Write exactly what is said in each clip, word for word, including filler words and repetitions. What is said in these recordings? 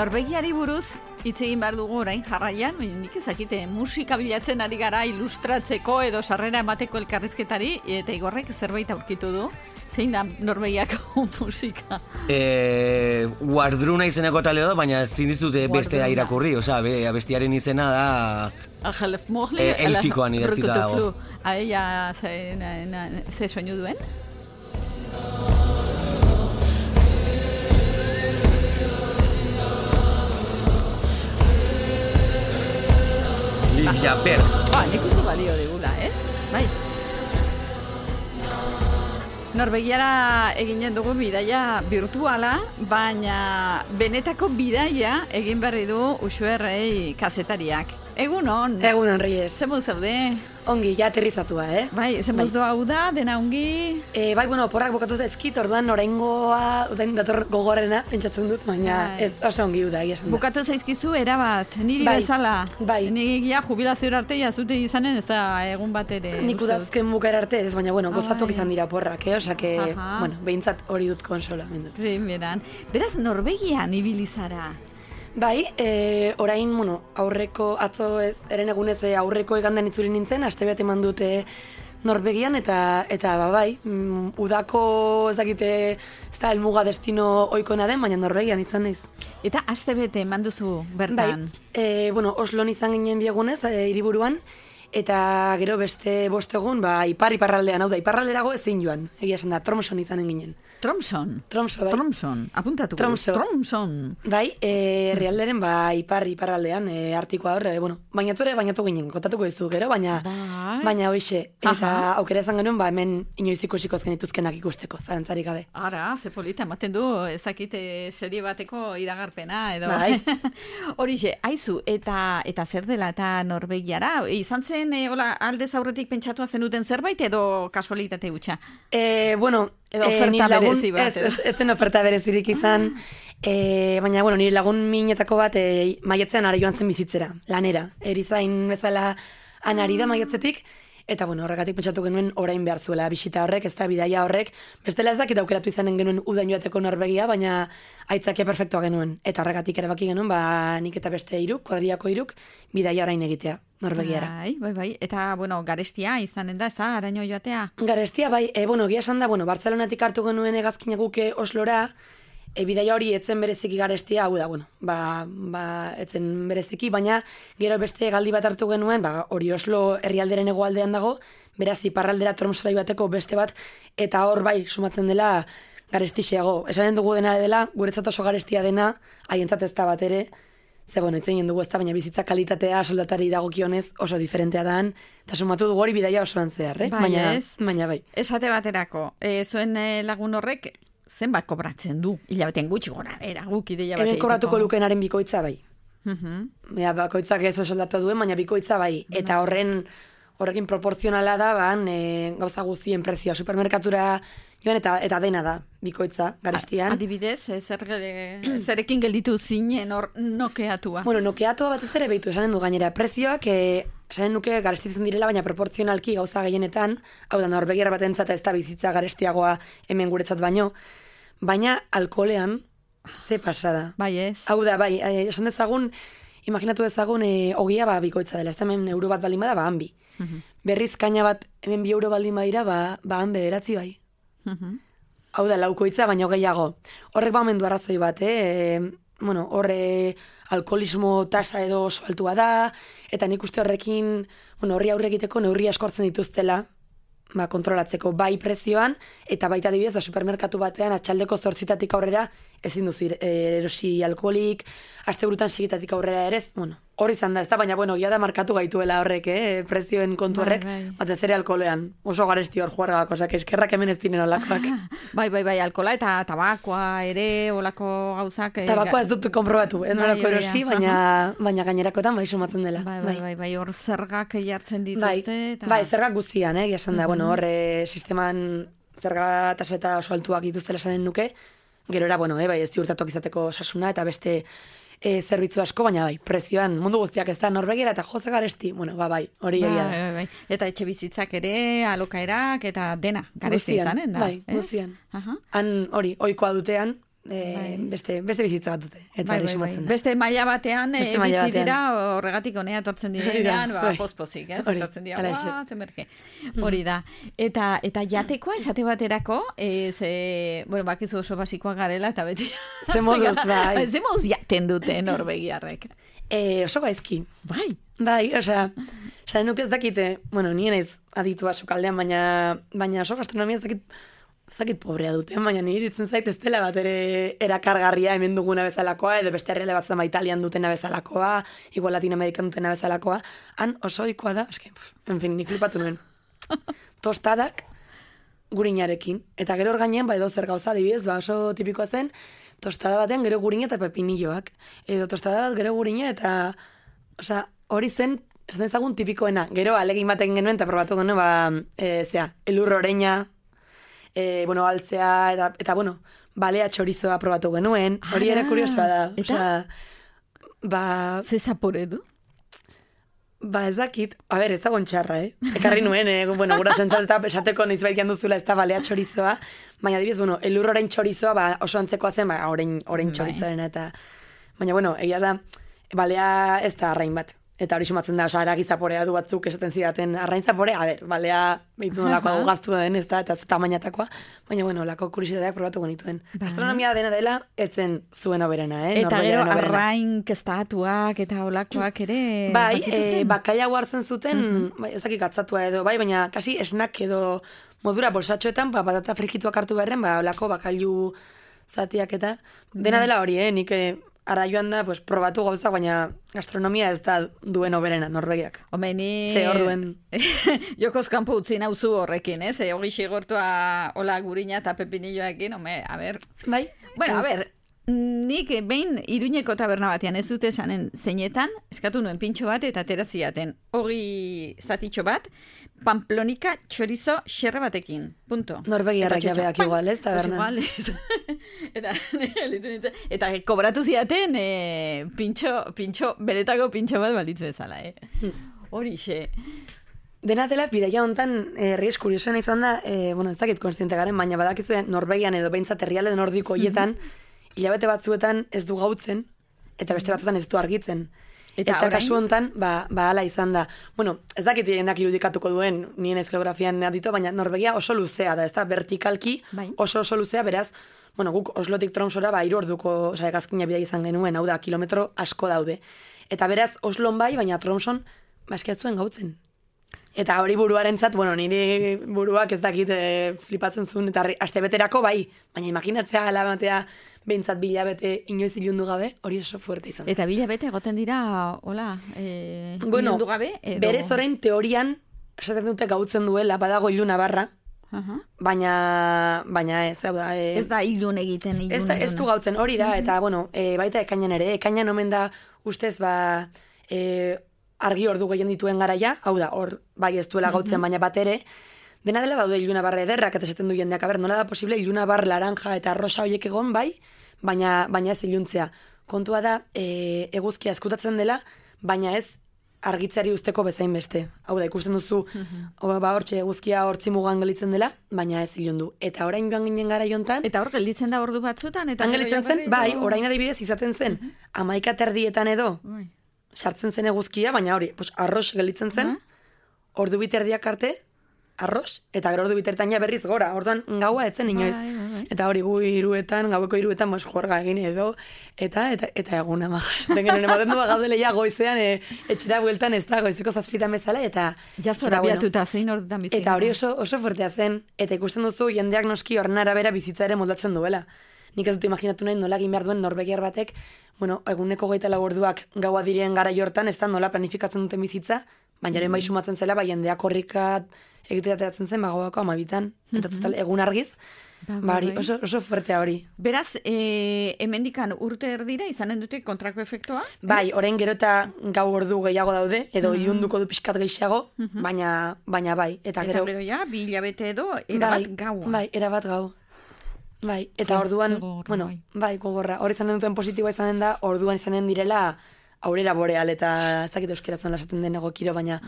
Norvegiari buruz hitz egin behar dugu orain jarraian, nik ezakite musika bilatzen ari gara ilustratzeko edo sarrera emateko elkarrizketari, eta Igorrek zerbait aurkitu du. Zein da Norvegiako musika? Eh, Guardruna izeneko talde da, baina ezin dizute bestea irakurri, osea, bestiaren izena da eh, elfikoan idatzita dago. Aia, ze soinu duen? Livia Berg. Ah, nik uste balio digula, ez? Bai. Norvegiara eginen dugu bidaia virtuala, baina benetako bidaia egin berri du Uxuerrei kazetariak. Egunon. Egunon, Ries. Zemuz zaude? Ongi, ja aterrizatua, eh? Bai, zemuz doa hau da, dena ongi? E, bai, bueno, porrak bukatu zaizkit, orduan oraingoa, orain dator gogorrena, pentsatzen dut, baina bai. Ez oso ongi da, egia esan da. Bukatu zaizkizu, erabat, niri bai. Bezala. Bai. Nik ja jubilazioa arte jazute izanen, ez da egun bat ere. Nik udazken bukaera arte, ez baina, bueno, gozatuak izan dira porrak, eh? Osa, que, Aha. bueno, behintzat hori dut konsola. Primeran. Beraz, Norvegian ibilizara. Bai, e, orain, bueno, aurreko, atzo ez, eren egunez aurreko egandan itzuli nintzen, aste bat eman dute Norvegian, eta, eta ba, bai, mm, udako ez dakite, ez da, elmuga destino oikona den, baina Norvegian izan naiz. Eta aste bete eman duzu bertan? Bai, e, bueno, Oslon izan ginen biegunez, e, hiriburuan, eta gero beste bost egun, ba, ipar iparraldean, hau da, iparralderago ezin joan, egia esan da, Tromson izanen ginen. Tromson? Tromso, bai. Tromson, apuntatuko. Tromso. Tromson. Bai, e, realderen, ba, ipar iparraldean, e, artikoa hor, e, bueno, bainatu ere, bainatu ginen, kontatuko dizu gero, baina, bai. baina hoxe, eta Aha. aukera izan genuen, ba, hemen inoiz ikusiko zenituzkenak ikusteko, zarantzarik gabe. Ara, ze polita, ematen du, ezakite serie bateko iragarpena, edo. Bai. Horixe, aizu, eta eta zer dela eta Norvegiara? Izan zen, e, hola, aldez aurretik pentsatua zenuten zerbait, edo kasualitate hutsa? E, bueno, edo oferta e, lagun, berezi bat. Ez, ez, ez zen oferta berezirik izan, e, baina, bueno, nire lagun minetako bat e, maiatzean ara joan zen bizitzera, lanera. Erizain bezala anari da maiatzetik, eta, bueno, horregatik pentsatu genuen orain behar zuela bisita horrek, ez da bidaia horrek, bestela ez dakit aukeratu izanen genuen udain joateko Norvegia, baina aitzakia perfektua genuen. Eta horregatik erabaki genuen, ba, nik eta beste hiruk, kuadriako hiruk, bidaia orain egitea. Norvegiara. Bai, bai, bai. Eta, bueno, garestia izanen da, ez da, araño joatea? Garestia, bai, e, bueno, gia esan da, bueno, Bartzelonatik hartu genuen hegazkina guke Oslora, e, bidaia hori etzen bereziki garestia, hau da, bueno, ba, ba, etzen bereziki, baina gero beste hegaldi bat hartu genuen, ba, hori Oslo herrialderen hegoaldean dago, beraz, iparraldera Tromsora bateko beste bat, eta hor, bai, sumatzen dela garestixiago. Esanen dugu dena dela, guretzat oso garestia dena, haientzat ez da bat ere, ze, bueno, itzen dugu ez da, baina bizitza kalitatea soldatari dagokionez oso diferentea dan, eta sumatu dugu hori bidaia osoan zehar, eh? Bai, baina, ez? baina bai. Esate baterako, e, zuen e, lagun horrek zenbat kobratzen du? Hilabetean gutxi gora, era, guk ideia bat Hemen egiteko. kobratuko lukenaren bikoitza bai. Uh-huh. Ea, bakoitzak ez soldatu duen, baina bikoitza bai. Eta horren, horrekin proporzionala da, ban, e, gauza guztien prezioa. Supermerkatura joan eta eta dena da, bikoitza, garestian. Adibidez, e, zer, e, zerekin gelditu zinen hor nokeatua? Bueno, nokeatua batez ere behitu, esanen du gainera. Prezioak, e, esanen nuke garestitzen direla, baina proporzionalki gauza gehienetan, hau da, Norvegiar batentzat ez da bizitza garestiagoa hemen guretzat baino, baina alkoholean, ze pasada. Bai ez. Hau da, bai, e, esan dezagun, imaginatu dezagun, e, ogia ba bikoitza dela, ez da hemen euro bat baldin bada, ba han bi. Uh-huh. Berriz kaina bat hemen bi euro baldin badira, ba, ba han bederatzi bai. Uh-huh. Hau da, laukoitza, baino gehiago. Horrek ba omen du arrazoi bat, eh? E, bueno, horre alkoholismo tasa edo oso altua da, eta nik uste horrekin, bueno, horri aurre egiteko neurri askortzen dituztela, ba, kontrolatzeko bai prezioan, eta baita adibidez, ba, supermerkatu batean atxaldeko zortzitatik aurrera ezin duzir erosi alkoholik, aste burutan sigitatik aurrera ere, bueno, hori izan da, ez da, baina, bueno, gia da markatu gaituela horrek, eh, prezioen kontu horrek, bai, bai. batez ere alkoholean, oso garesti hor juargak, osak, eskerrak hemen ez dinen olakoak. Bai, bai, bai, alkola eta tabakoa ere, olako gauzak. Tabakoa ez dut konprobatu, ez nolako bai, erosi, baina, baina gainerakotan bai sumatzen dela. Bai, bai, bai, bai, hor zergak jartzen dituzte. Bai, eta... bai, zergak guztian, eh, esan da, Mhm. bueno, horre sisteman zerga taseta oso altuak dituztela esanen nuke, gero era, bueno, eh, bai, ez ziurtatuak izateko osasuna eta beste e, zerbitzu asko, baina bai, prezioan mundu guztiak ez da Norvegiara eta joze garesti, bueno, ba, bai, hori bai, egia da. bai, bai. Eta etxe bizitzak ere, alokaerak eta dena, garesti Guztian, izanen da. bai, ez? guztian. Aha. Han hori, ohikoa dutean, E, beste, beste bizitza bat dute. Eta bai, bai, bai. Beste maila batean e, bizi dira horregatik honea etortzen direnean, ba, pospozik, ez? Etortzen dira, ba, zemerke. Hori da. Eta, eta jatekoa esate baterako, ez, e, bueno, bakizu oso basikoa garela, eta beti... Ze moduz, bai. Ze moduz jaten dute norvegiarrek. E, oso gaizki. Bai. Bai, osea, osea, nuk ez dakite, bueno, nien ez aditua sokaldean, baina, baina oso gastronomia ez dakit, zakit pobrea dute, baina nire iritzen zait ez dela bat ere erakargarria hemen duguna bezalakoa, edo beste herrialde bat zama Italian dutena bezalakoa, igual Latin Amerikan dutena bezalakoa, han oso ohikoa da, eske, en fin, nik flipatu nuen. Tostadak gurinarekin, eta gero hor gainean, ba, edo zer gauza, adibidez, ba, oso tipikoa zen, tostada batean gero gurina eta pepinilloak, edo tostada bat gero gurina eta, osea, hori zen, ez dezagun tipikoena, gero alegin baten genuen, eta probatu genuen, ba, e, zea, elur oreina, E, bueno, altzea, eta, eta bueno, balea txorizoa probatu genuen, hori ere kuriosoa da. Eta? Osea, ba... Ze zapore du? Ba, ez dakit. A ber, ez dagoen txarra, eh? Ekarri nuen, eh? Bueno, gura sentzat eta esateko noiz baikian duzula ez da balea txorizoa, baina adibidez, bueno, elur orain txorizoa, ba, oso antzekoa zen, ba, orain, orain txorizoaren, eta... Baina, bueno, egia da, balea ez da arrain bat. Eta hori sumatzen da, osa, aragi zaporea du batzuk esaten zidaten arrain zaporea, a ber, balea behitu nolako gaztu den, ez da, eta tamainatakoa, baina, bueno, lako kuriositateak probatu genituen. Gastronomia dena dela, etzen zuen oberena, eh? Eta gero arrain kestatuak eta olakoak ere... Bai, e, bakaila hartzen zuten, uh-huh. bai, ez dakik atzatua edo, bai, baina kasi esnak edo modura bolsatxoetan, ba, patata frikituak hartu beharren, ba, olako bakailu zatiak eta, dena dela hori, eh? Nik... Ara joan da, pues, probatu gauzak, baina gastronomia ez da duen oberena, Norvegiak. Home, ni... Ze hor duen... Jokoz kanpo utzi nauzu horrekin, eh? Ze hori xigortua hola gurina eta pepinilloekin, home, a ber... Bai? Bueno, a ber, nik behin Iruñeko taberna batean ez dute esanen zeinetan, eskatu nuen pintxo bat eta ateraziaten. Hori zatitxo bat, Pamplonika txorizo xerra batekin. Punto. Norvegiarrak jabeak igual, ez, taberna. Igual, ez. eta, eta kobratu ziaten e, pintxo, pintxo, beretako pintxo bat balitzu bezala, eh? Horixe. Dena dela, bidaia hontan, herri eh, eskuriosoen izan da, eh, bueno, ez dakit konstiente garen, baina badakizuen Norvegian edo behintzat herrialde nordiko hoietan, mm-hmm. hilabete batzuetan ez du gautzen, eta beste batzuetan ez du argitzen. Eta, eta kasu hontan, ba, ba ala izan da. Bueno, ez dakit jendak irudikatuko duen, nien ez geografian adito, baina Norvegia oso luzea da, ez da, vertikalki bai. oso oso luzea, beraz, bueno, guk Oslotik Tromsora, ba, hiru orduko, oza, egazkina bidea izan genuen, hau da, kilometro asko daude. Eta beraz, Oslon bai, baina Tromson, ba, eskiatzuen gautzen. Eta hori buruarentzat, bueno, niri buruak ez dakit e, flipatzen zuen, eta aste beterako bai, baina imaginatzea alabatea behintzat bilabete inoiz ilundu gabe, hori oso fuerte izan. Eta bilabete egoten dira, hola, e, bueno, ilundu gabe? Edo... Berez orain teorian, esaten dute gautzen duela, badago iluna barra, uh-huh. baina, baina ez, hau da... E, ez da ilun egiten, ilun. Ez, da, ez du gautzen, hori da, uh-huh. eta, bueno, e, baita ekainan ere, ekainan omen da, ustez, ba... E, argi ordu gehien dituen garaia, hau da, hor bai ez duela gautzen, mm-hmm. baina bat ere, dena dela baude iluna barra ederrak, eta esaten du jendeak, aber, nola da posible iluna bar laranja eta rosa horiek egon bai, baina, baina ez iluntzea. Kontua da, e, eguzkia eskutatzen dela, baina ez argitzeari usteko bezain beste. Hau da, ikusten duzu, mm-hmm. ba, hortxe eguzkia hortzi mugan gelitzen dela, baina ez ilundu. Eta orain joan ginen gara jontan... Eta hor gelditzen da ordu batzutan? Eta gelitzen zen, bai, orain adibidez izaten zen, mm-hmm. amaika terdietan edo, bai. Sartzen zen eguzkia, baina hori, pues, arroz gelitzen zen, uh-huh. ordu biterdiak arte, arroz, eta gero ordu bitertan ja berriz gora, orduan gaua etzen inoiz. Bai, bai, bai. Eta hori gu iruetan, gaueko iruetan, mos jorga egin edo, eta eta eta eguna majas. Tengen ematen du gaudele ja goizean, e, etxera bueltan ez da, goizeko zazpitan bezala, eta... Ja zora biatuta zein ordutan bizitzen. Eta hori oso, oso fuertea zen, eta ikusten duzu jendeak noski horren arabera bizitza ere moldatzen duela. Nik ez dut imaginatu nahi nola egin behar duen norvegiar batek, bueno, eguneko geita lau orduak gaua diren gara jortan, ez da nola planifikatzen duten bizitza, baina mm-hmm. bai sumatzen zela, bai jendeak horrikat egiteratzen zen, ba gauako amabitan, eta mm-hmm. total, egun argiz, ba, bari, oso, oso fuertea hori. Beraz, e, hemendikan urte erdira izanen dute kontrako efektua? Bai, orain gero eta gau ordu gehiago daude, edo mm-hmm. ilunduko du pixkat gehiago, mm-hmm. baina, baina bai. Eta, eta gero, gero ja, bi hilabete edo, erabat bai, gaua. Bai, erabat gau. Bai, eta ja, orduan, gogorra, bueno, bai, bai gogorra. Hor izanen duten positiboa izanen da, orduan izanen direla aurrera boreal eta ez dakit euskeratzen lasaten den egokiro, baina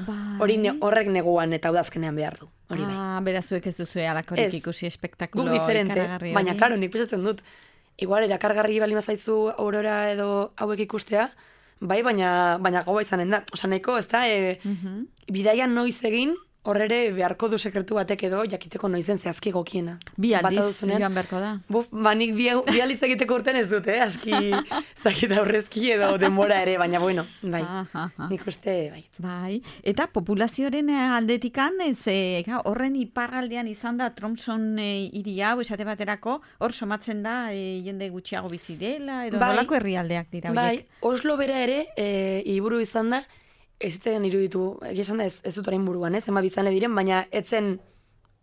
hori ne, horrek neguan eta udazkenean behar du. Hori bai. Ah, berazuek ez duzu alakorik ikusi espektakulo ikaragarri. Baina, klaro, nik pesatzen dut, igual erakargarri bali mazaizu aurora edo hauek ikustea, bai, baina, baina gaua izanen da. Osa, nahiko, ez da, e, uh-huh. bidaian noiz egin, horrere beharko du sekretu batek edo jakiteko noizen zehazki egokiena. Bi aldiz joan beharko da. Buf, banik bi, bi aldiz egiteko urten ez dute, eh? Aski zakita aurrezki edo denbora ere, baina bueno, bai, nik uste, bai. Bai, eta populazioaren aldetikan, ze, horren iparraldean izan da Tromson e, iria, esate baterako, hor somatzen da e, jende gutxiago bizi dela, edo bai, nolako herrialdeak dira horiek? Bai, Oslo bera ere, e, iburu izan da, ez zitzen iruditu, egia esan da ez, ez dut orain buruan, ez, ema bizane diren, baina etzen,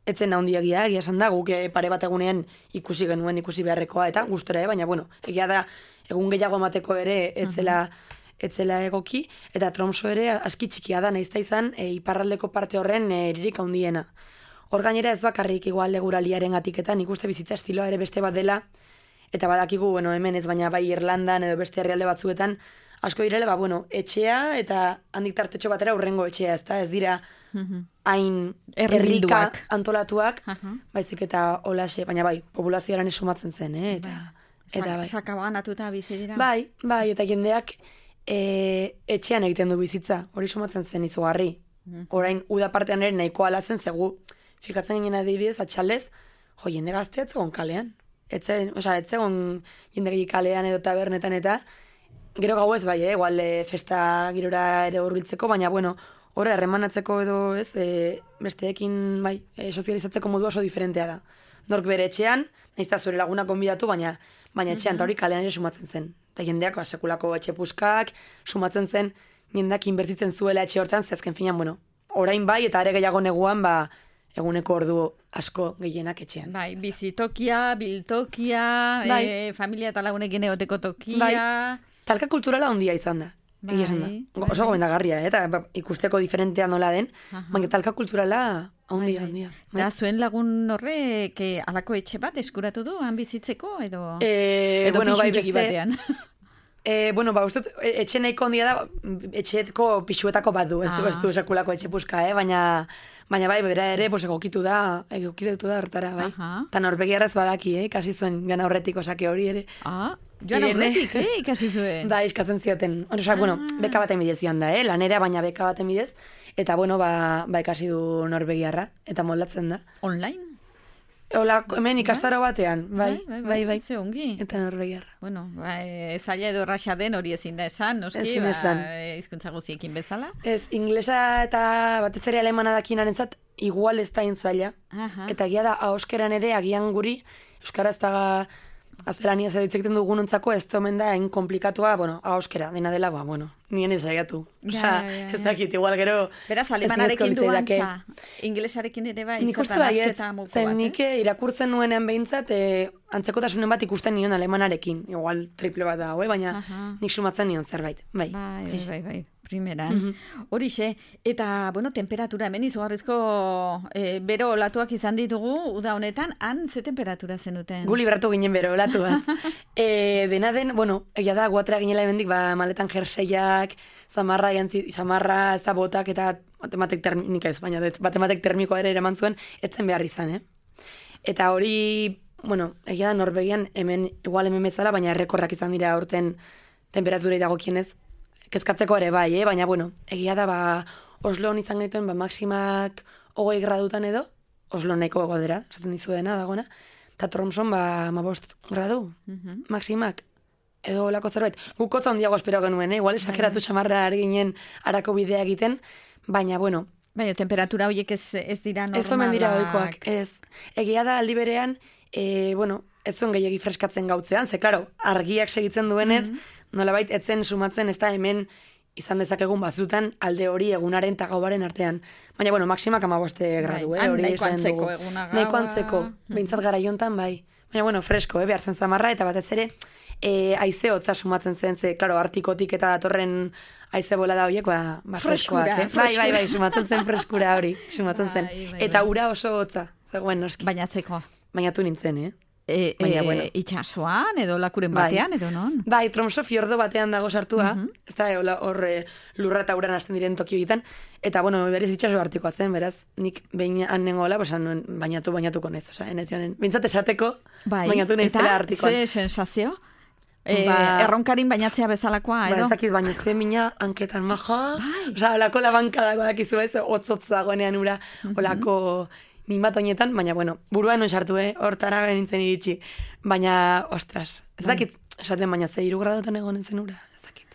etzen handiagia, egia esan da, guk pare bat egunean ikusi genuen, ikusi beharrekoa, eta gustora, eh? Baina, bueno, egia da, egun gehiago emateko ere, etzela, etzela egoki, eta Tromso ere aski txikia da, naizta izan, e, iparraldeko parte horren eririk handiena. Hor gainera ez bakarrik igual eguraliaren atiketan, ikuste bizitza estiloa ere beste bat dela, eta badakigu, bueno, hemen ez, baina bai Irlandan edo beste herrialde batzuetan, asko direle, ba, bueno, etxea eta handik tartetxo batera urrengo etxea, ez da, ez dira hain herrika antolatuak, baizik eta olaxe, baina bai, populazioaren esumatzen zen, eh? Eta, eta bai. Sakabanatuta bizi dira. Bai, bai, eta jendeak e, etxean egiten du bizitza, hori sumatzen zen izugarri. Orain, uda partean ere nahiko alatzen zegu, fikatzen ginen adibidez, atxalez, jo, jende gazte etzegon kalean. Etzen, oza, etzegon jende gehi kalean edo tabernetan eta, gero gau ez bai, eh? Igual e, festa girora ere hurbiltzeko, baina, bueno, horre, harremanatzeko edo, ez, e, besteekin, bai, e, sozializatzeko modu oso diferentea da. Nork bere etxean, nahizta zure laguna konbidatu, baina, baina etxean, eta hori kalean ere sumatzen zen. Eta jendeak, ba, sekulako etxe puskak, sumatzen zen, jendeak inbertitzen zuela etxe hortan, zehazken finan, bueno, orain bai, eta are gehiago neguan, ba, eguneko ordu asko gehienak etxean. Bai, bizitokia, biltokia, bai. e, familia eta lagunekin egoteko tokia... Bai. Talka kulturala handia izan da. Bai, egia da. Oso gomendagarria, eh? Eta ikusteko diferentea nola den, baina talka kulturala handia, handia. Bai. Da, zuen lagun horrek alako etxe bat eskuratu du, han bizitzeko, edo, e, edo bueno, pixu bai, txiki batean? E, bueno, ba, ustut, etxe nahiko handia da, etxeetko pixuetako bat du, ez du, ah. ez du sekulako etxe puska, eh? Baina, baina bai, bera ere, pues, egokitu da, egokitu da hortara, bai. Eta norbegiarraz badaki, eh? Kasi zuen gana horretik osake hori ere. Ah, joan aurretik, eh, ikasi zuen. Da, eskatzen zioten. Osa, ah. bueno, beka baten bidez joan da, eh, lanera, baina beka baten bidez. Eta, bueno, ba, ba ikasi du norbegiarra, eta moldatzen da. Online? Hola, hemen ikastaro batean, bai, bai, bai, bai. Ze ongi. Eta norbegiarra. Bueno, ba, zaila edo raxa den hori ezin da esan, noski, ezin esan. Ba, hizkuntza guztiekin bezala. Ez, inglesa eta batez ere alemana dakinarentzat igual ez da intzaila. Eta egia da, ahoskeran ere, agian guri, euskara ez da azalania zer ditzekten dugunontzako ez omen da hain komplikatua, bueno, ahoskera, dena dela, ba, bueno, nien ez saiatu. Osea, ez dakit, igual gero... Beraz, alemanarekin du antza, inglesarekin ere bai, nik uste baiet, zen nik irakurtzen nuenean behintzat, e, antzekotasunen bat ikusten nion alemanarekin, igual triple bat da, baina nik sumatzen nion zerbait, bai. Bai, bai, bai, bai. Primeran. Horixe, eta, bueno, temperatura hemen izugarrizko e, bero olatuak izan ditugu, uda honetan, han ze temperatura zenuten? Gu libratu ginen bero olatuaz. e, dena den, bueno, egia da, guatera ginela hemendik, ba, maletan jerseiak, zamarra, jantzi, zamarra, ez da botak, eta batematek termika ez, baina batematek termikoa ere eraman zuen, etzen behar izan, eh? Eta hori, bueno, egia da, Norvegian, hemen, igual hemen bezala, baina errekorrak izan dira aurten temperaturei dagokienez, kezkatzeko ere bai, eh? Baina, bueno, egia da, ba, Osloan izan gaituen, ba, maximak hogei gradutan edo, Oslo nahiko godera, esaten dizu dena, dagoena, eta Tromson, ba, amabost gradu, uh-huh. maximak, edo olako zerbait. Guk kotza handiago espero genuen, eh? Igual esageratu txamarra ari ginen arako bidea egiten, baina, bueno... Baina, temperatura horiek ez, ez dira normalak. Ez omen dira oikoak, ez. Egia da, aldi berean, e, bueno, ez zuen gehiagi freskatzen gautzean, ze, klaro, argiak segitzen duenez, mm-hmm. nolabait etzen sumatzen ez da hemen izan dezakegun batzutan alde hori egunaren eta gaubaren artean. Baina, bueno, maximak amaboste gradu, eh? Hori nahiko antzeko eguna gaua. Nahiko antzeko, behintzat gara jontan, bai. Baina, bueno, fresko, eh? Behar zen zamarra, eta batez ere, e, aize hotza sumatzen zen, ze, klaro, artikotik eta datorren aize bola da horiek, ba, ba freskoak, eh? Bai, bai, bai, sumatzen zen freskura hori, sumatzen zen. Eta ura oso hotza, zegoen noski. Baina atzekoa. Bainatu nintzen, eh? E, Baina, e, bueno. Itxasoan, edo lakuren batean, edo non? Bai, Tromso fiordo batean dago sartua, Mhm. ez da, hor eh, lurra eta uran hasten diren tokio egiten, eta, bueno, berez itxaso artikoa zen, beraz, nik behin annengoela, pues, nuen bainatu, bainatuko nez, oza, enez joanen, bintzat esateko, Bai, bainatu nezela artikoan. Eta, ze sensazio? E, Ba- erronkarin bainatzea bezalakoa, Ba, edo? ez dakit, baina ze mina hanketan maja, Bai. oza, olako labanka dago dakizu ez, otzotz dagoenean ura, olako min bat oinetan, baina, bueno, buruan non sartu, eh, hortara benintzen iritsi, baina, ostras, ez dakit, esaten baina ze hiru gradotan egonen zen ura, ez dakit.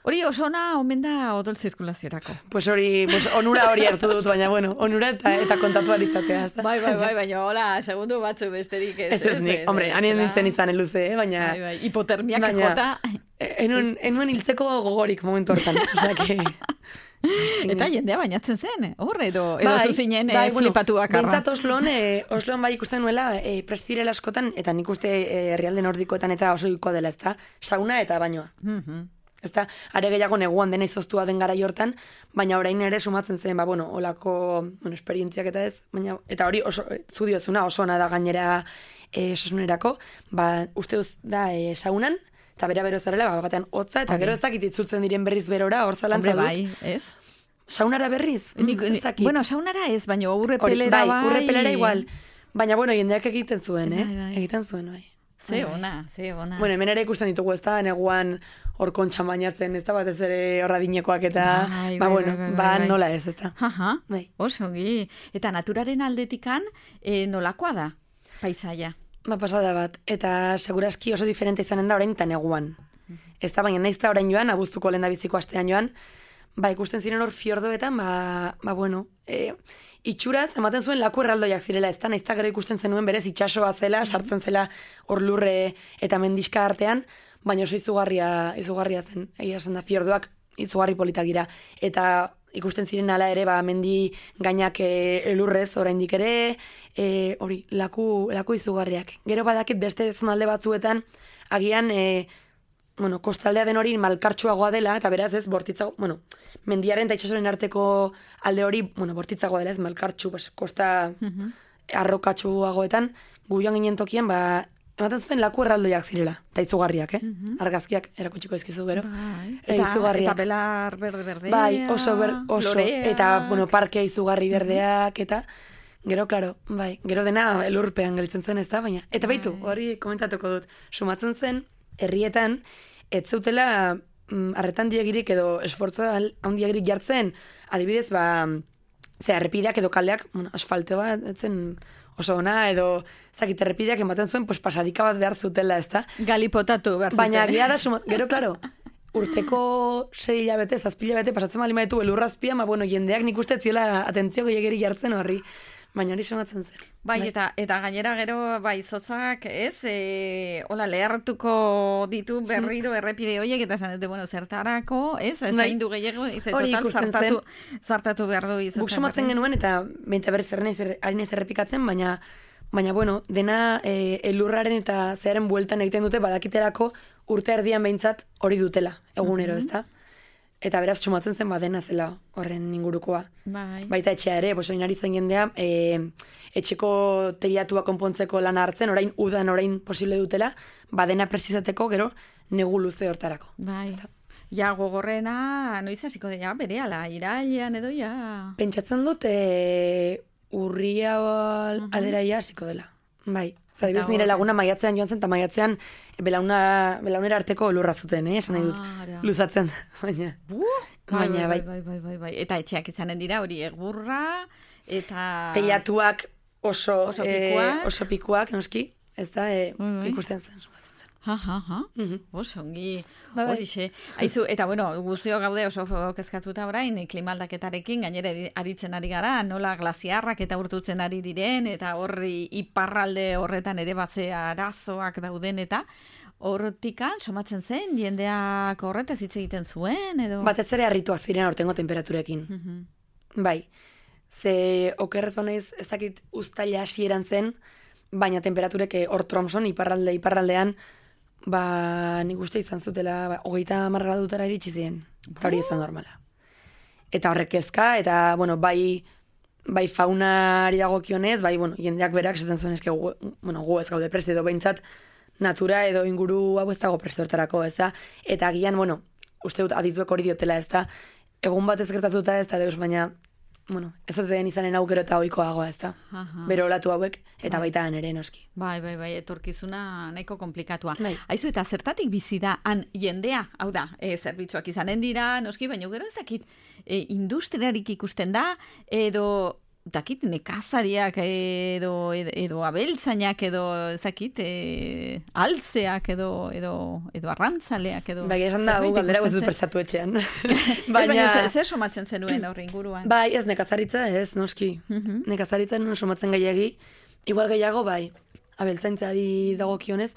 Hori oso ona omen da odol zirkulaziorako. Pues hori, pues onura hori hartu dut, baina, bueno, onura eta, eta kontatu alizatea, ez da? Bai, bai, bai, baina hola, segundu batzu besterik ez. Ez ez nik, hombre, hanien nintzen izan eluze, eh, baina... Bai, bai, hipotermiak baina, jota. Enuen, enuen hiltzeko gogorik momentu hortan, osea que... Eta jendea bainatzen zen, hor, edo, edo zuzinen bai, bueno, flipatu bakarra. Bentsat Oslon, eh, Oslon bai ikusten nuela eh, prestirela askotan, eta nik uste eh, herrialde nordikoetan eta oso iko dela, ezta? Sauna eta bainoa. Mhm. Ezta, are gehiago neguan dena izoztua den garai hortan, baina orain ere sumatzen zen, ba, bueno, olako, bueno, esperientziak eta ez, baina, eta hori oso, zu diozuna, oso ona da gainera eh, osasunerako, ba, uste duz da eh, saunan, eta bera bero zarela, ba, batean hotza, eta gero ez dakit itzultzen diren berriz berora, hor zalantza dut. Bai, ez? Saunara berriz? Nik, Mm, ez dakit. bueno, saunara ez, baina urre Hori, pelera bai. bai, urre pelera igual. Baina, bueno, jendeak egiten zuen, eh? Bai, bai. Egiten zuen, bai. Ze Bai, bai. ona, ze ona. Bueno, hemen ere ikusten ditugu, ez da, neguan hor kontxan bainatzen, ez da, batez ere horra dinekoak eta, Bai, ba, bai, bueno, bai, bai, ba, bai. nola ez, ez da. Aha, Bai. oso ongi. Eta naturaren aldetikan, e, nolakoa da, paisaia? Ba, pasada bat. Eta seguraski oso diferente izanen da orain eta neguan. Ez da, baina naiz da orain joan, abuztuko lehen da biziko astean joan, ba, ikusten ziren hor fiordoetan, ba, ba bueno, e, itxuraz, ematen zuen laku erraldoiak zirela, ez da, naiz da gero ikusten zenuen berez itxasoa zela, sartzen zela hor lurre eta mendiska artean, baina oso izugarria, izugarria zen, egia esan da, fiordoak izugarri politak dira, eta ikusten ziren ala ere, ba, mendi gainak e, elurrez oraindik ere, e, hori, laku, laku izugarriak. Gero badakit beste zonalde batzuetan, agian, e, bueno, kostaldea den hori malkartsuagoa dela, eta beraz ez, bortitzago, bueno, mendiaren eta itxasoren arteko alde hori, bueno, bortitzagoa dela, ez, malkartsu, pues, kosta arrokatsuagoetan, gu joan ginen tokian, ba, ematen zuten laku erraldoiak zirela, eta izugarriak, eh? Argazkiak erakutsiko ezkizu gero. Bai. E, Eta, izugarriak. eta belar berde-berdea, Bai, oso, ber, oso, floreak. eta, bueno, parke izugarri berdeak, eta, gero, klaro, bai, gero dena elurpean gelditzen zen ez da, baina, eta baitu, hori komentatuko dut, sumatzen zen, herrietan, ez zeutela mm, arretan diegirik edo esfortzo handiagirik jartzen, adibidez, ba, ze errepideak edo kaldeak, bueno, asfaltoa, etzen oso ona, edo, zakit, errepideak ematen zuen, pues, pasadika bat behar zutela, ez da? Galipotatu behar zuten. Baina, gira da, suma, gero, klaro, urteko sei hilabete, zazpi hilabete, pasatzen bali maitu elurrazpia, ma, bueno, jendeak nik uste ziola atentzio gehiagiri jartzen horri, baina hori somatzen zen. Bai, eta, eta gainera gero, bai, zotzak, ez, e, hola, lehartuko ditu berriro errepide horiek, eta esan dute, bueno, zertarako, ez, ez Bai. zain du gehiago, ez, Hori total, ikusten zartatu, zartatu behar du izotzak. Guk somatzen genuen, eta baita berriz ari naiz errepikatzen, baina, baina bueno, dena e, elurraren eta zearen bueltan egiten dute, badakitelako urte erdian behintzat hori dutela, egunero, Mhm. ez da? Eta beraz, sumatzen zen badena zela horren ingurukoa. Bai. Baita etxea ere, bos, oinari zen jendea, e, etxeko teilatua konpontzeko lana hartzen, orain udan orain posible dutela, badena prezizateko gero negu luze hortarako. Bai. Ja, gogorrena, noiz hasiko da, ja, bere ala, irailean edo, ja. Pentsatzen dut, e, urria aldera ia hasiko dela. Bai. Zadibuz, nire laguna maiatzean joan zen, eta maiatzean belauna, belaunera arteko lurra zuten, eh? Esan nahi dut, Ara. luzatzen. Baina, baina, bai, bai. bai, bai, bai, bai. Eta etxeak izanen dira hori egurra, eta... Teilatuak oso, Oso eh, pikuak. oso pikuak, noski, ez da, eh, Bai, bai. ikusten zen. sumatzen zen. Ha, ha, ha. Mhm. Oso, ongi. Bai, bai. Horixe. Aizu, eta bueno, guztio gaude oso kezkatuta orain, klimaldaketarekin, gainera aritzen ari gara, nola glaziarrak eta urtutzen ari diren, eta horri iparralde horretan ere batzea arazoak dauden, eta hortikan, somatzen zen, jendeak horretaz hitz egiten zuen, edo... Batez ere harrituak ziren aurtengo temperaturekin. Mhm. Bai, ze okerrez banaiz ez dakit uztaila hasieran zen, baina temperaturek eh, hor Tromson, iparralde, iparraldean, ba, nik uste izan zutela, ba, hogeita marra dutara iritsi ziren. Eta hori izan normala. Eta horrek kezka, eta, bueno, bai bai faunari dagokionez, bai, bueno, jendeak berak esaten zuen eske gu, bueno, gu ez gaude preste edo behintzat natura edo inguru hau ez dago preste hortarako, ez da? Eta agian, bueno, uste dut adituek hori diotela, ez da? Egun bat ez gertatuta ez da deus, baina, bueno, ez dut den izanen aukero eta oikoagoa, ez da? Bero olatu hauek, eta bai. Baita ere noski. Bai, bai, bai, etorkizuna nahiko komplikatua. Bai. Aizu, eta zertatik bizi da han jendea, hau da, e, zerbitzuak izanen dira, noski, baina gero ezakit, e, industriarik ikusten da, edo dakit nekazariak edo, edo, edo abeltzainak edo ezakit e, altzeak edo, edo, edo arrantzaleak edo... Bai, esan da, gu galdera guzu prestatu etxean. Baina... Ez zer somatzen zenuen horre inguruan? Bai, ez nekazaritza ez, noski. Uh-huh. Nekazaritza non somatzen gehiagi. Igual gehiago, bai, abeltzaintzari dagokionez.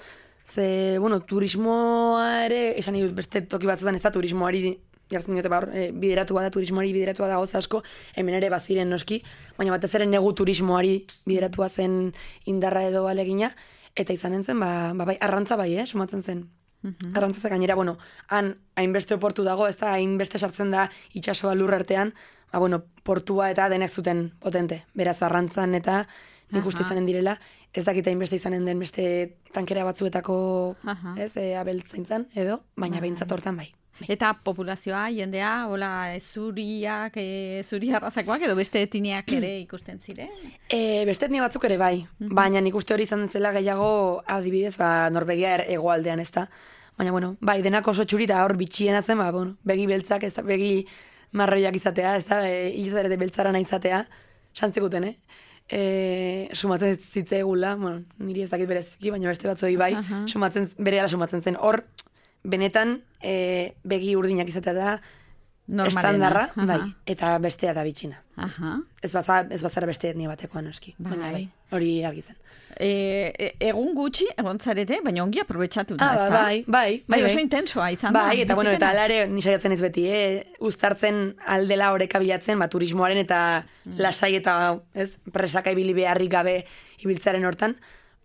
Ze, bueno, turismoa ere, esan dut beste toki batzutan ez da turismoari jartzen diote bar, e, bideratua da, turismoari bideratua da gauza asko, hemen ere baziren noski, baina batez ere negu turismoari bideratua zen indarra edo alegina, eta izanen zen, ba, ba bai, arrantza bai, eh, sumatzen zen. Uh-huh. Arrantza gainera, bueno, han hainbeste portu dago, ez da, hainbeste sartzen da itsasoa lur artean, ba, bueno, portua eta denek zuten potente, beraz arrantzan eta nik uste izanen direla, ez dakita hainbeste izanen den beste tankera batzuetako, uh-huh. ez, e, abeltzaintzan edo, baina uh-huh. behintzat hortan bai. Eta populazioa, jendea, hola, zuriak, e, zuri arrazakoak edo beste etniak ere ikusten ziren? E, beste etnia batzuk ere bai, mm-hmm. baina nik uste hori izan zela gehiago adibidez, ba, Norvegia hegoaldean ez da. Baina, bueno, bai, denak oso txuri da hor bitxiena zen, ba, bueno, begi beltzak, ez da, begi marroiak izatea, ez da, e, hilzare beltzarana izatea, santzekuten, eh? E, sumatzen zitzaigula, bueno, niri ez dakit bereziki, baina beste batzoi bai, uh-huh. sumatzen, berehala sumatzen zen, hor, benetan e, begi urdinak izatea da estandarra, uh-huh. bai, eta bestea da bitxina. Uh-huh. Ez baza, ez bazara beste etnia batekoa noski, bai. Baina bai, hori argi zen. E, egun gutxi egon zarete, baina ongi aprobetxatu da, ah, ez da? Bai, bai. Bai, oso intensoa izan bai, da. Bai, eta bueno, eta alare nisaiatzen ez beti, eh? Uztartzen aldela oreka bilatzen, ba, turismoaren eta mm. lasai eta, ez, presaka ibili beharrik gabe ibiltzaren hortan,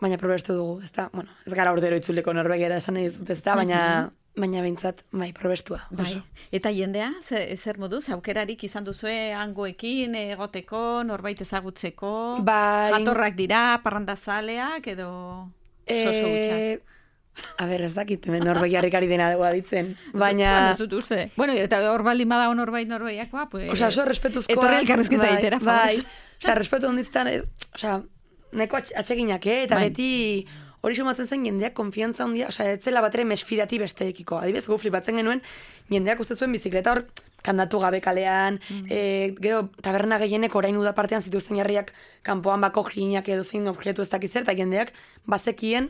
baina probestu dugu, ez da, bueno, ez gara ordero itzuleko Norvegiara esan nahi dut, ez da, baina, uh-huh. baina behintzat, bai, probestua. Bai. Eta jendea, zer, zer moduz, aukerarik izan duzue hangoekin, egoteko, norbait ezagutzeko, bai. Jatorrak dira, parrandazaleak, edo soso gutxak? A ber, ez dakit, Norvegiarrik ari dena dugu aditzen, baina... Bueno, ez dut uste. Bueno, eta hor baldin badago norbait Norvegiakoa, pues... Osa, oso respetuzkoa... Etorri elkarrezketa bai, itera, bai. Osa, respetu ondiztan, osa, neko atseginak, eh? Eta bai. Beti hori sumatzen zen jendeak konfiantza handia, osea, etzela batere mesfidati besteekiko. Adibidez, gu flipatzen genuen, jendeak uste zuen bizikleta hor kandatu gabe kalean, mm. e, gero taberna gehienek orain uda partean zituzten jarriak kanpoan bako jinak edo zein objektu ez dakizer, eta jendeak bazekien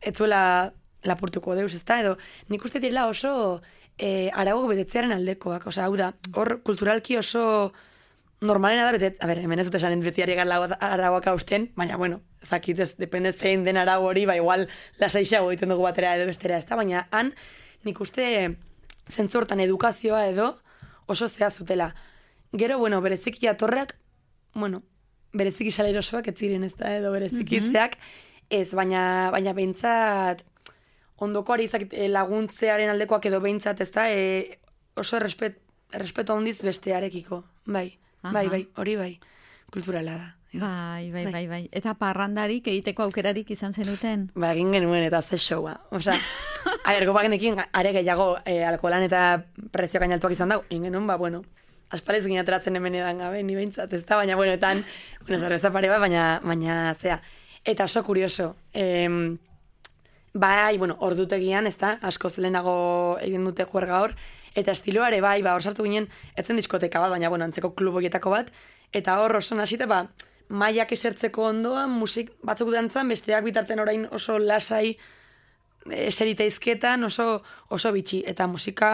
etzuela lapurtuko deus, ezta? Edo nik uste direla oso e, arago betetzearen aldekoak, osea, hau da, hor kulturalki oso... Normalena da, betet, a ber, hemen ez dut esanen beti ari arauak hausten, baina, bueno, ezakit ez, depende zein den arau hori, ba, igual lasaixago egiten dugu batera edo bestera, ez da, baina han, nik uste zentzortan edukazioa edo oso zea zutela. Gero, bueno, bereziki jatorrak, bueno, bereziki salerosoak ez ziren, ez da, edo bereziki mm-hmm. zeak, ez, baina, baina behintzat, ondoko ari laguntzearen aldekoak edo behintzat, ez da, e, oso errespet, errespeto handiz bestearekiko, bai. Aha. Bai, bai, hori bai, kulturala da. Bai, bai, bai, bai. Eta parrandarik egiteko aukerarik izan zenuten? Ba, egin genuen eta ze showa. Osa, ahergo bagenekin, are gehiago eh, alkoholan eta prezio gainaltuak izan dago. Egin genuen, ba, bueno, aspalez gine ateratzen hemen edan gabe, ni behintzat, ez da, baina, bueno, etan, bueno, zerbeza pare bat, baina, baina, zea. Eta oso kurioso, eh, bai, bueno, ordutegian, ez da, asko zelenago egin dute juerga hor, eta estiloare bai, ba, hor sartu ginen, etzen diskoteka bat, baina, bueno, antzeko kluboietako bat, eta hor oso nasite, ba, maiak esertzeko ondoan, musik batzuk dantzan, besteak bitarten orain oso lasai eserita izketan, oso, oso bitxi, eta musika,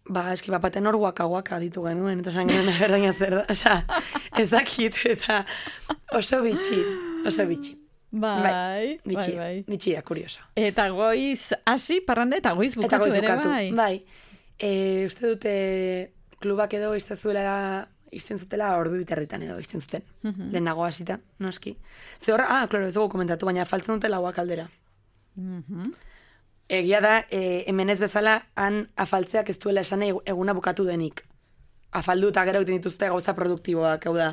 ba, eski, bapaten hor waka-waka ditu genuen, eta esan genuen berdaina zer da, oza, ez dakit, eta oso bitxi, oso bitxi. Bai, bai, bitxia, bai, bai. Bitxia, kurioso. Eta goiz hasi parrande eta goiz bukatu, eta goiz ere, bukatu. bai. Bai, e, uste dute klubak edo iztezuela, izten zutela ordu biterritan edo izten zuten. Uh-huh. Lehenago hasita, noski. Ze horra, ah, klaro, ez dugu komentatu, baina faltzen dute lauak aldera. Uh-huh. Egia da, e, hemen ez bezala, han afaltzeak ez duela esan eguna bukatu denik. afalduta gero egiten dituzte gauza produktiboak, hau da,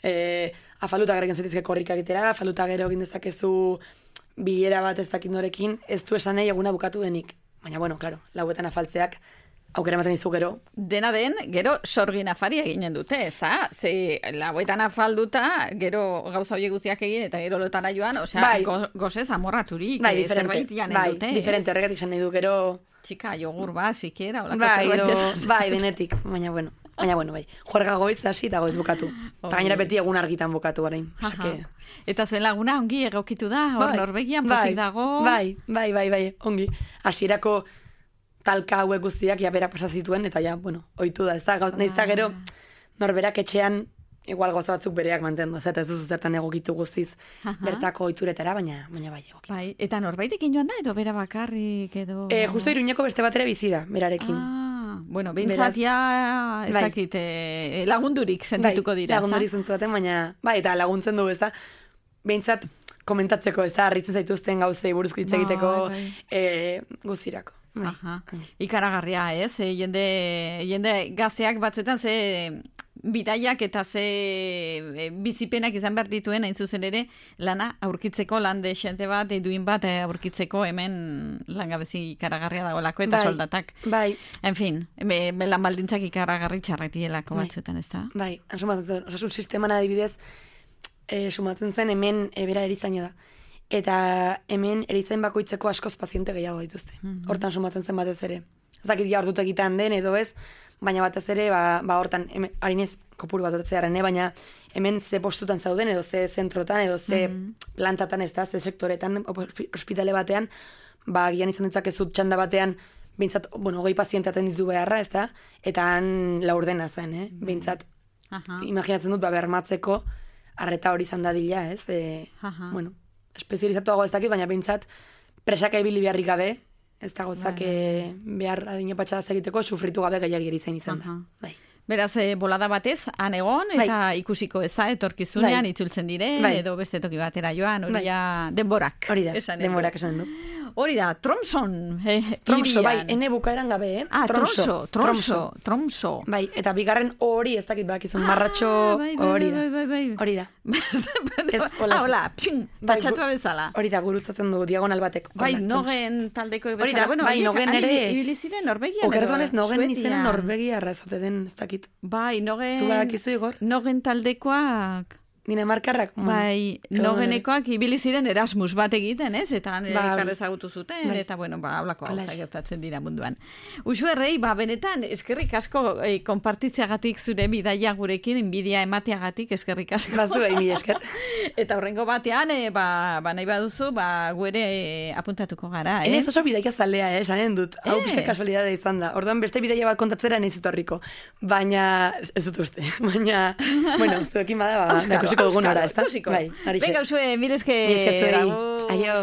e, afalduta gero egin zetizke korrika egitera, afalduta gero egin dezakezu bilera bat ez dakit norekin, ez du esan nahi eguna bukatu denik. Baina, bueno, claro, lauetan afaltzeak aukera ematen dizu gero. Dena den, gero sorgin afaria eginen dute, ez da? Ze, lauetan afalduta, gero gauza horiek guztiak egin, eta gero lotara joan, osea, bai. go, gozez amorraturik, bai, zerbait janen bai, dute. Diferente, horregatik zen nahi du, gero... Txika, jogur bat, sikiera, olako bai, zerbait ez. Bai, denetik, baina bueno. Baina, bueno, bai. Juerga goiz hasi eta goiz bukatu. Eta gainera beti egun argitan bukatu garain. Osake... Eta zuen laguna ongi egokitu da, hor bai, Norvegian pozik dago. Bai, bai, bai, bai, ongi. Hasierako talka hauek guztiak ja berak pasa zituen, eta ja, bueno, ohitu da, ez da, nahiz da gero, norberak etxean, igual goza batzuk bereak mantendu, ez eta ez duzu zertan egokitu guztiz bertako ohituretara, baina, baina bai egokitu. Bai, eta norbaitek joan da, edo bera bakarrik, edo... E, justo Iruñeko beste batera bizi da, berarekin. Ah, bueno, behintzat ja, ez bai. dakit, eh, lagundurik sentituko dira, bai, lagundurik zentzu baten, baina, bai, eta laguntzen du, ez da, behintzat komentatzeko, ez da, harritzen zaituzten gauzei buruzko hitz egiteko bai, bai. E, guztirako. Aha. Ikaragarria, ez? E, jende, jende gazteak batzuetan ze bidaiak eta ze e, bizipenak izan behar dituen hain zuzen ere lana aurkitzeko, lan desente bat, eduin bat e, aurkitzeko hemen langabezi ikaragarria dagoelako eta bai, soldatak. Bai. En fin, me, me lan baldintzak ikaragarri txarretielako bai, batzuetan, ez da? Bai, sumatzen zen, osasun sisteman adibidez, e, sumatzen zen hemen e, bera erizaina da. Eta hemen erizain bakoitzeko askoz paziente gehiago dituzte. Mm-hmm. Hortan sumatzen zen batez ere. Ezakit ja hartut egiten den edo ez, baina batez ere, ba, ba hortan, harinez kopuru bat otatzearen, baina hemen ze postutan zauden, edo ze zentrotan, edo ze mm-hmm. plantatan ez da, ze sektoretan, ospitale batean, ba, gian izan ditzakezut txanda batean, behintzat, bueno, hogei paziente atenditu beharra, ez da, eta han laurdena zen, eh? Mm-hmm. Behintzat, uh-huh. imaginatzen dut, ba, bermatzeko, arreta hori izan dadila, ez? E, uh-huh. Bueno, espezializatuago ez dakit, baina behintzat presaka ibili beharrik gabe, ez da gozak bai, behar adine patxadaz egiteko, sufritu gabe gehiagiri zen izan da. Bai. Beraz, e, bolada batez, han egon, eta bai, ikusiko eza, etorkizunean, bai, itzultzen dire, bai, edo beste toki batera joan, hori bai, denborak. Hori da, esan denborak esan du. Hori da, Tromson. Eh, Tromso, bai, ene bukaeran gabe, eh? Ah, Tromso, Tromso, Tromso. Bai, eta bigarren hori ez dakit bakizun, marratxo hori da. Bai, bai, bai, hori da. Ah, hola, ping, patxatua bezala. Hori da, gurutzatzen du, diagonal batek. Bai, nogen taldeko bezala. Hori da, bueno, bai, nogen ere. Ibili ziren Norvegian. Okerzonez, nogen izena Norvegia arrazote den, ez dakit. Bai, nogen. Zubarakizu, Igor? Nogen taldekoak. Dinamarkarrak. Bai, nogenekoak ibili ziren Erasmus bat egiten, ez? Eta elkar ezagutu zuten, bai, eta bueno, ba, haulako hauza gertatzen dira munduan. Usu errei, ba, benetan, eskerrik asko eh, konpartitzeagatik zure bidaia gurekin, inbidia emateagatik, eskerrik asko. Bazu, bai, mila esker. Eta horrengo batean, eh, ba, ba, nahi baduzu, ba, guere eh, apuntatuko gara, eh? Enez oso bidaia zalea, eh, sanen dut. Hau pizka kasualidade izan da. Orduan beste bidaia bat kontatzera nahiz etorriko. Baina, ez dut uste. Baina, bueno, zuekin bada, ba, Euskaro, dugun hora, ez da? Venga, usue, mire eske... Aio.